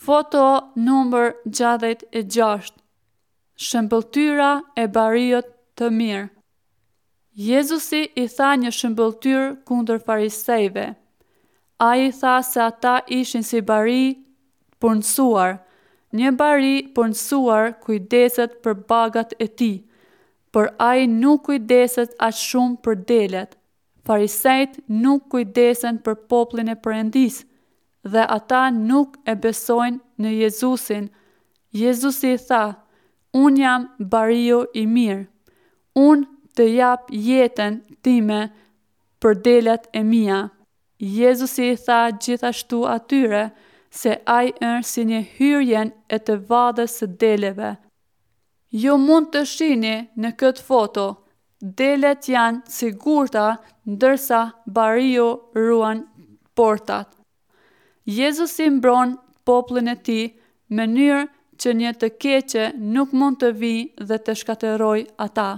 Foto numër 66 Shëmbëlltyra e bariut të mirë Jezusi i tha një shëmbëlltyrë kundër farisejve. Ai i tha se ata ishin si bari të punësuar. Një bari i punësuar kujdeset për bagat e tij, por ai nuk kujdeset aq shumë për delet. Farisejtë nuk kujdesen për popullin e Perëndisë dhe ata nuk e besojnë në Jezusin. Jezusi i tha, Unë jam bariu i mirë. Unë të jap jetën time për delet e mia. Jezusi i tha gjithashtu atyre se ai është si një hyrjen e të vadhës së deleve. Ju mund të shihni në këtë foto, delet janë të sigurta ndërsa bariu ruan portat. Jezusi mbron popullin e tij mënyrë që një të keqe nuk mund të vijë dhe të shkatërrojë ata.